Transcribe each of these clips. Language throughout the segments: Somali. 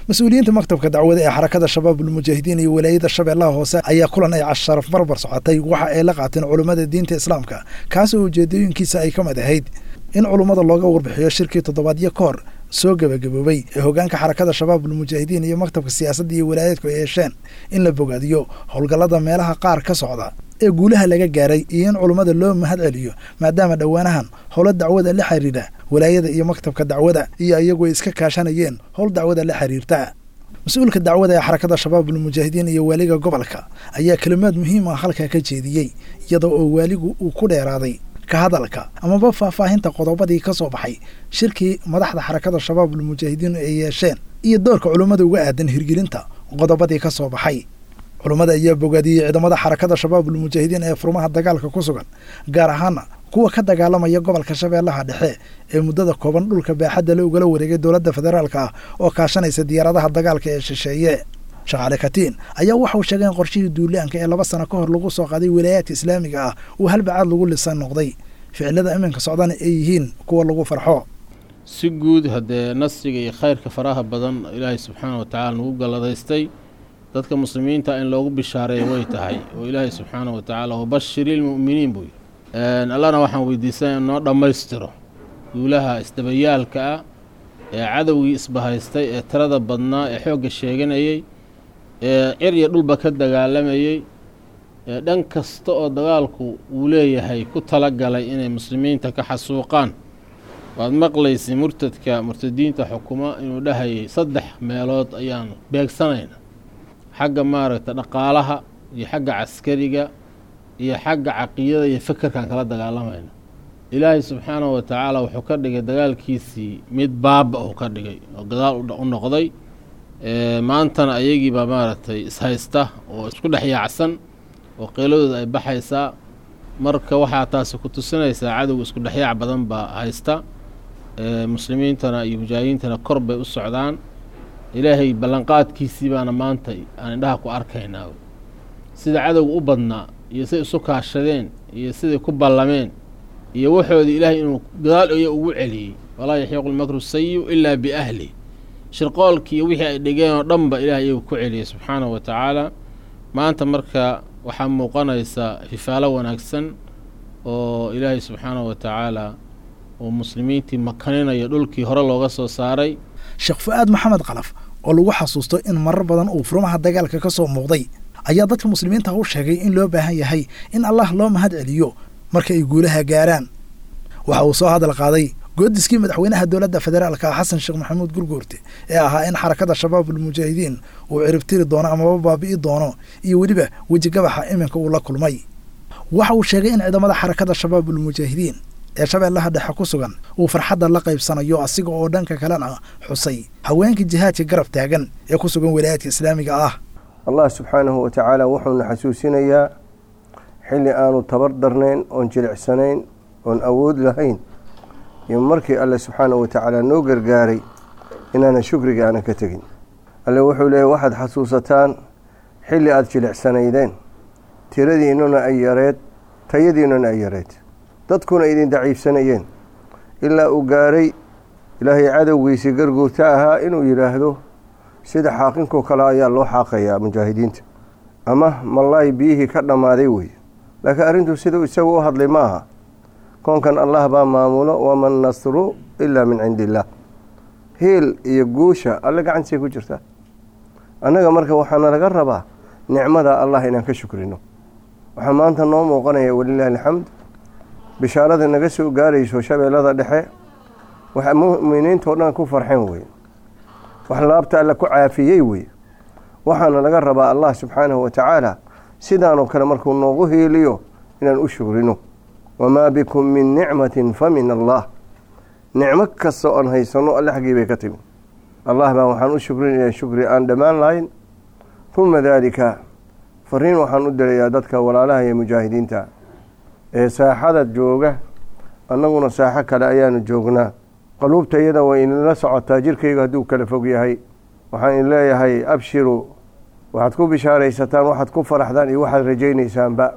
Mas-uuliyiinta maktabka dacwada ee Xarakada Shabaabulmujaahidiin iyo walaayada Shabeellaha Hoose ayaa kulan ay casharaf barbar socotay waxa ay la qaateen culummada diinta Islaamka, kaas oo ujeedooyinkiisa ay ka mid ahayd in culummada looga warbixiyo shirkii toddobaadyo ka hor soo gebagaboobay ee hoggaanka Xarakada Shabaabulmujaahidiin iyo maktabka siyaasadda iyo walaayaadku ay yeesheen, in la bogaadiyo howlgallada meelaha qaar ka socda ee guulaha laga gaaray, iyo in culummada loo mahad celiyo maadaama dhowaanahan howlo dacwada la xiriira walaayada iyo maktabka dacwada iyo iyagu ay iska kaashanayeen howl dacwada la xiriirta. Mas-uulka dacwada ee Xarakada Shabaabulmujaahidiin iyo waaliga gobolka ayaa kelimaad muhiim ah halkaa ka jeediyey, iyadoo oo waaligu uu ku dheeraaday ka hadalka amaba faahfaahinta qodobadii ka soo baxay shirkii madaxda Xarakada Shabaabulmujaahidiin ay yeesheen iyo doorka culummada uga aadan hirgelinta qodobadii ka soo baxay. Culummada ayaa bogaadiyey ciidamada Xarakada Shabaabulmujaahidiin ee furmaha dagaalka ku sugan, gaar ahaana kuwa ka dagaalamaya gobolka Shabeellaha Dhexe ee muddada kooban dhulka baaxadda la ugala wareegay dowladda federaalka ah oo kaashanaysa diyaaradaha dagaalka ee shisheeye. Shaqaale Katiin ayaa waxauu sheegay in qorshihii duulaanka ee 2 sano ka hor lagu soo qaaday walaayaadka islaamiga ah uu halbacaad lagu lisan noqday, ficilada iminka socdana ay yihiin kuwa lagu farxo. Si guud haddee nasriga iyo khayrka faraha badan Ilaahay subxaana wa tacaala nagu galladaystay, dadka muslimiinta in loogu bishaareeyo way tahay, oo Ilaahay subxaana wa tacaala wabashiri lmu'miniin buu yidhi. Allana waxaan weydiisanaya in noo dhammaystiro guulaha isdabayaalka ah ee cadowgii isbahaystay ee tirada badnaa ee xoogga sheeganayey ee cir iyo dhulba ka dagaalamayey ee dhan kasta oo dagaalku uu leeyahay ku talagalay inay muslimiinta ka xasuuqaan. Waad maqlaysay murtadka murtadiinta xukuma inuu dhahayay 3 meelood ayaan beegsanayna, xagga maaragta dhaqaalaha iyo xagga caskariga iyo xagga caqiidada iyo fekerkaan kala dagaalamayna. Ilaahay subxaanahu wa tacaala wuxuu ka dhigay dagaalkiisii mid baaba uu ka dhigay oo gadaal u noqday. Maantana ayagiibaa maaragtay ishaysta oo isku dhex yaacsan oo qeyladooda ay baxaysaa. Marka waxaa taasi ku tusinaysaa cadowga isku dhexyaac badan baa haysta, muslimiintana iyo mujaahidiintana kor bay u socdaan. Ilaahay ballanqaadkiisii baana maanta aan indhaha ku arkaynaa, sida cadowga u badnaa iyo siday isu kaashadeen iyo siday ku ballameen iyo waxoodii Ilaahay inuu gadaal iya ugu celiyey. Walaa yaxiiqu lmakru sayiu ilaa biahlih, shirqoolkii iyo wixii ay dhigeen oo dhanba Ilahay iyagu ku celiyey subxaanahu wa tacaala. Maanta marka waxaa muuqanaysa fifaalo wanaagsan oo Ilaahay subxaanahu wa tacaala uu muslimiintii makaninayo dhulkii hore looga soo saaray. Sheekh Fu'aad Maxamed Kalaf oo lagu xasuusto in marar badan uu furmaha dagaalka ka soo muuqday ayaa dadka muslimiinta u sheegay in loo baahan yahay in Allah loo mahad celiyo marka ay guulaha gaaraan. Waxa uu soo hadal qaaday goodiskii madaxweynaha dowladda federaalka Xasan Sheekh Maxamuud Gurguurte ee ahaa in Xarakada Shabaabulmujaahidiin uu ciribtiri doono amaba baabi'i doono, iyo weliba wejigabaxa iminka uu la kulmay. Waxa uu sheegay in ciidamada Xarakada Shabaabulmujaahidiin ee Shabeellaha Dhexe ku sugan uu farxadda la qaybsanayo, asiga oo dhanka kalena xusay haweenka jihaadka garab taagan ee ku sugan walaayaadka islaamiga ah. Allah subxaanahu wa tacaala wuxuuna xasuusinayaa xilli aanu tabar darnayn oon jilicsanayn oon awood lahayn iyo markii Alle subxaanahu wa tacaala noo gargaaray inaanan shukriga aanan ka tegin. Alle wuxuu leeyahy waxaad xasuusataan xilli aada jilicsanaydeen, tiradiinnuna ay yareed, tayadiinnuna ay yareed, dadkuna idin daciifsanayeen, ilaa uu gaaray Ilaahay cadowgiisii garguurta ahaa inuu yidhaahdo sida xaaqinkoo kale ayaa loo xaaqayaa mujaahidiinta ama malaay biyihii ka dhammaaday wey. Laakiin arrintu siduu isagu u hadlay ma aha. Koonkan Allah baa maamulo, waman nasru ilaa min cindi illaah. Hiil iyo guusha Alle gacantiisay ku jirtaa. Annaga marka waxaana laga rabaa nicmada Allah inaan ka shukrino. Waxaa maanta noo muuqanaya walilaahi alxamd bishaarada naga soo gaarayso Shabeellada Dhexe, waxa mu'miniintao dhan ku farxeen wey, wax laabta Alle ku caafiyey wey. Waxaana laga rabaa Allah subxaanahu wa tacaala sidaanoo kale markuu noogu hiiliyo inaan u shukrino. Wamaa bikum min nicmatin fa min Allah. Nicmo kasta oon haysanno Alle xaggii bay ka timi. Allah baan waxaan u shukrinayaa shukri aan dhammaan lahayn. Uma daalika fariin waxaan u dirayaa dadka walaalaha iyo mujaahidiinta ee saaxada jooga. Annaguna saaxo kale ayaanu joognaa, qaluubta iyada way inla socotaa, jirkaygu hadduu kala fog yahay. Waxaan in leeyahay abshiru, waxaad ku bishaaraysataan, waxaad ku faraxdaan iyo waxaad rajaynaysaanba.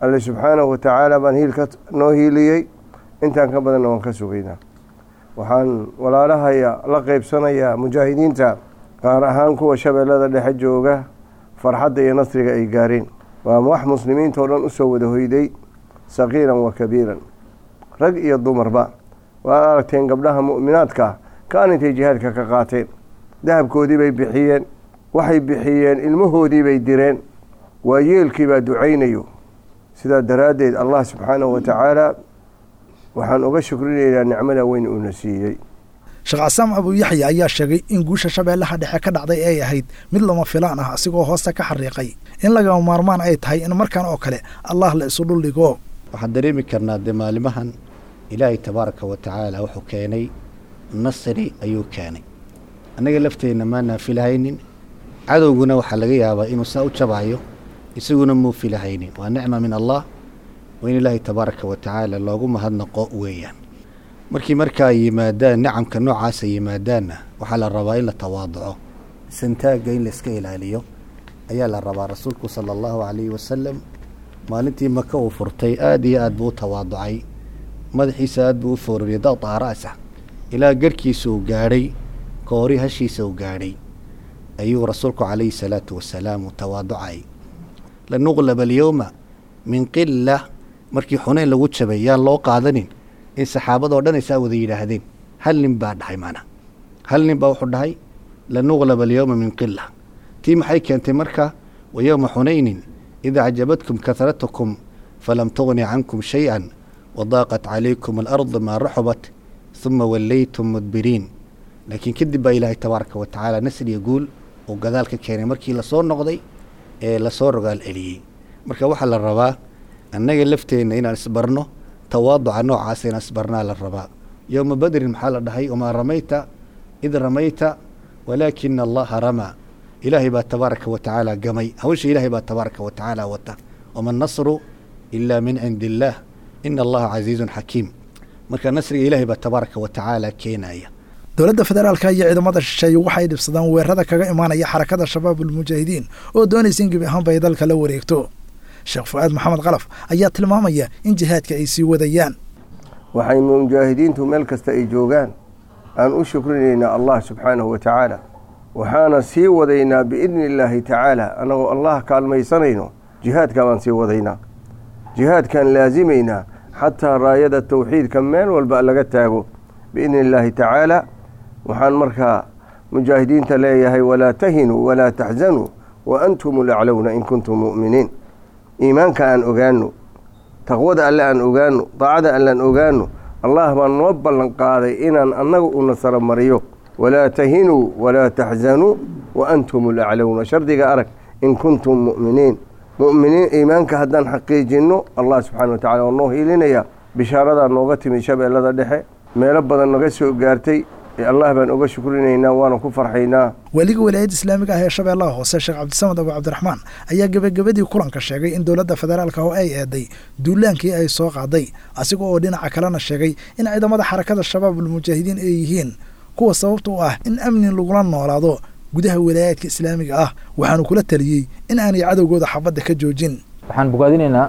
Alle subxaanahu wa tacaala baan hiilka noo hiiliyey, intaan ka badanna waan ka sugaynaa. Waxaan walaalahaya la qaybsanayaa mujaahidiinta Gaar ahaan kuwa Shabeellada Dhexe jooga, farxadda iyo nasriga ay gaareen waa wax muslimiintao dhan usoo wada hoyday, saqiiran wa kabiiran, rag iyo dumarba. Waad aragteen gabdhaha mu'minaadka ah kaan intay jihaadka ka qaateen, dahabkoodii bay bixiyeen, waxay bixiyeen ilmahoodii bay direen, waa yeelkii baa ducaynayo. Sidaa daraaddeed Allah subxaanahu wa tacaala waxaan uga shukrinaynaa nicmada weyn uuna siiyey. Sheekh Casaam Abu Yaxya ayaa sheegay in guusha Shabeellaha Dhexe ka dhacday ay ahayd mid lama filaan ah, asigoo hoosta ka xariiqay in lagama maarmaan ay tahay in markan oo kale Allah la isu dhuldhigo. Waxaan dareemi karnaa dee maalimahan Ilaahay tabaaraka wa tacaala wuxuu keenay nasri ayuu keenay. Annaga lafteenna maanaa filahaynin, cadowguna waxaa laga yaabaa inuu saa u jabayo, isaguna muu filahaynin. Waa nicma min Allah, waa in Ilaahay tabaaraka wa tacaala loogu mahadnaqo weeyaan. Markii markaa yimaadaan nicamka noocaasa yimaadaanna, waxaa la rabaa in la tawaaduco, santaagga in layska ilaaliyo ayaa la rabaa. Rasuulku sala Allahu calayhi wasalam maalintii Maka uu furtay aada iyo aad buu u tawaaducay, madaxiisa aad buu u foorariyay, daqda'a ra'sa, ilaa garhkiisa uu gaadhay, koori hashiisa uu gaadhay ayuu rasuulku calayhi salaatu wasalaam uu tawaaducay. Lanuqlaba alyowma min qila, markii Xuneyn lagu jabay, yaan loo qaadanin in saxaabadoo dhan ay saa wada yidhaahdeen. Hal nin baa dhahay, maanaa hal nin baa wuxuu dhahay lanuqlaba alyowma min qila. Tii maxay keentay marka? Wa yowma xunaynin id acjabatkum kahratukum falam tugni cankum shay-an wadaaqat calaykum alardu maa raxubat uma wallaytum mudbiriin. Laakiin kadib baa Ilaahay tabaaraka wa tacaala nasriya guul uu gadaal ka keenay markii lasoo noqday ee lasoo rogaal celiyey. Marka waxaa la rabaa annaga lafteenna inaan isbarno tawaaduca noocaasa, inaan isbarnaa la rabaa. Yowma Badrin maxaa la dhahay? Wamaa ramayta id ramayta walaakina Allaha ramaa. Ilaahay baa tabaaraka wa tacaala gamay hawsha, Ilaahay baa tabaaraka wa tacaala wata. Wama nasru ilaa min cindi illaah, ina Allaha casiizun xakiim. Marka nasriga Ilaahay baa tabaaraka wa tacaala keenaya. Dowladda federaalka iyo ciidamada shisheeye waxay dhibsadaan weerarada kaga imaanaya Xarakada Shabaabulmujaahidiin oo doonaysa in gebi ahaanba ay dalka la wareegto. Sheekh Fu'aad Maxamed Kalaf ayaa tilmaamaya in jihaadka ay sii wadayaan. Waxay mujaahidiintu meel kasta ay joogaan aan u shukrinaynaa Allah subxaanahu wa tacaala, waxaana sii wadaynaa biidni illaahi tacaala, annagoo Allah kaalmaysanayno jihaadka baan sii wadaynaa, jihaadkaan laasimaynaa xataa raayada tawxiidka meel walba laga taago biidni illaahi tacaala. Waxaan markaa mujaahidiinta leeyahay: walaa tahinuu walaa taxzanuu wa antum alaclowna in kuntum mu'miniin. Iimaanka aan ogaano, taqwada Alle aan ogaano, daacada alle aan ogaano. Allah baa noo ballan qaaday inaan annaga u nasaro mariyo. Walaa tahinuu walaa taxzanuu wa antum alaclowna, shardiga arag, in kuntum mu'miniin. Mu'miniin iimaanka haddaan xaqiijinno, Allah subxana wa tacala waa noo hiilinaya. Bishaaradaa nooga timi Shabeellada Dhexe, meelo badan naga soo gaartay ee Allah baan uga shukrinaynaa, waana ku farxaynaa. Weliga Walaayadda Islaamiga ah ee Shabeellaha Hoose, Sheekh Cabdisamad Abu Cabdiraxmaan, ayaa gebagabadii kulanka sheegay in dowladda federaalka oo ay eeday duulaankii ay soo qaaday, asiga oo dhinaca kalena sheegay in ciidamada Xarakada Shabaabulmujaahidiin ay yihiin kuwa sababta u ah in amni lagula noolaado gudaha walaayaadka islaamiga ah. Waxaanu kula taliyey in aanay cadowgooda xabadda ka joojin. Waxaan bogaadinaynaa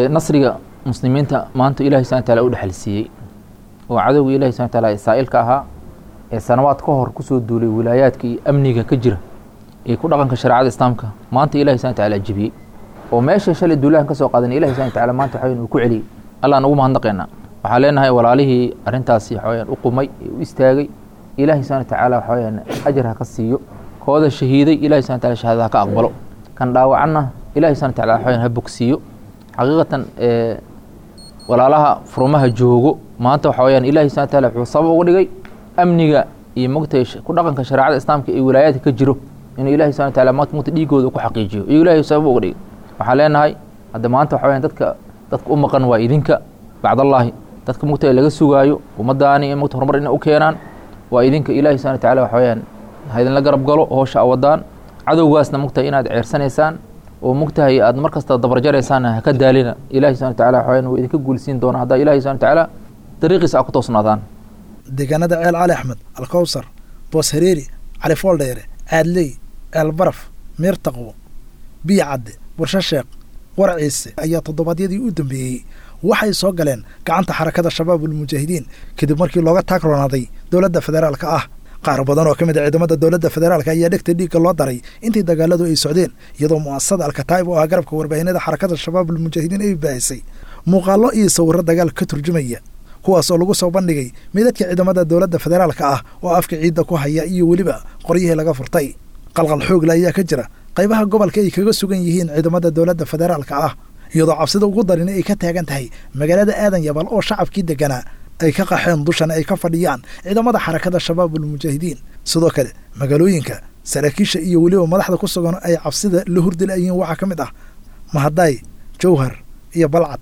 nasriga muslimiinta maanta Ilahi subxana wataala u dhexal siiyey oo cadowga Ilahi subxana wataala ee saa'ilka ahaa ee sanawaad ka hor kusoo duulay wilaayaadka iyo amniga ka jira ee ku dhaqanka shareecada islaamka, maanta Ilahi subxana wataala jebiyey oo meesha shalay duulahan ka soo qaadan Ilahi subxana wataala maanta waxaweyan uu ku celiyey. Allah aan ugu mahadnaqaynaa. Waxaan leenahay walaalihii arrintaasi waxaweyaan u qumay ee u istaagay, Ilaahi subxana watacaala waxaweyaan ajar ha ka siiyo. Kooda shahiiday Ilahi subxana wataala shahaadada ha ka aqbalo, kan dhaawacanna Ilahi subxana wataala waxaweyaan ha bogsiiyo. Xaqiiqatan walaalaha furumaha joogo maanta waxa weyaan Ilahi subxana wataala wuxuu sabab uga dhigay amniga iyo mogtay ku dhaqanka shareecada islaamka ee wilaayaadka ka jiro inuu Ilahi subxana wataala maanta mogta dhiigooda ku xaqiijiyo iyo Ilahi sabab uga dhigay. Waxaan leenahay hadda maanta waxa weyaan dadka u maqan waa idinka bacdallaahi, dadka mogta laga sugaayo ummadaani in mogta horumar inay u keenaan waa idinka. Ilahi subxana wataala waxa weyaan ha idinla garab galo hoosha awadaan, cadowgaasna mogtahay inaad ceersanaysaan oo mogtahay aad mar kasta dabarjaraysaan ha ka daalina. Ilahi subxana wataala waxa weyaan wuu idinka guulsiin doonaa haddaa Ilahi subxana watacaala dariiqiisa aad ku toosnaadaan. Deegaanada Ceel Cali Axmed, Alkowsar, Boos Hareeri, Cali Fooldheere, Caadley, Ceel Baraf, Meer Taqwo, Biyo Cadde, Warsho Sheekh, Warciise ayaa toddobaadyadii u dambeeyey waxay soo galeen gacanta Xarakada Shabaabulmujaahidiin kadib markii looga taagroonaaday dowladda federaalka ah. Qaar badan oo ka mid a ciidamada dowladda federaalka ayaa dhegta dhiigga loo daray intii dagaaladu ay socdeen, iyadoo mu'asasada Alkataa'ib oo ah garabka warbaahinada Xarakada Shabaabul Mujaahidiin ay baahisay muuqaallo iyo sawirro dagaal ka turjumaya, kuwaas oo lagu soo bandhigay meydadka ciidamada dowladda federaalka ah oo afka ciidda ku haya iyo weliba qoryihii laga furtay. Qalqal xoogle ayaa ka jira qaybaha gobolka ay kaga sugan yihiin ciidamada dowladda federaalka ah, iyadoo cabsida ugu darin ay ka taagan tahay magaalada Aadan Yabal oo shacabkii deganaa ay ka qaxeen, dushana ay ka fadhiyaan ciidamada Xarakada Shabaabul Mujaahidiin. Sidoo kale magaalooyinka saraakiisha iyo weliba madaxda ku sugan ay cabsida la hurdilayihiin waxaa ka mid ah Mahadaay, Jowhar iyo Balcad.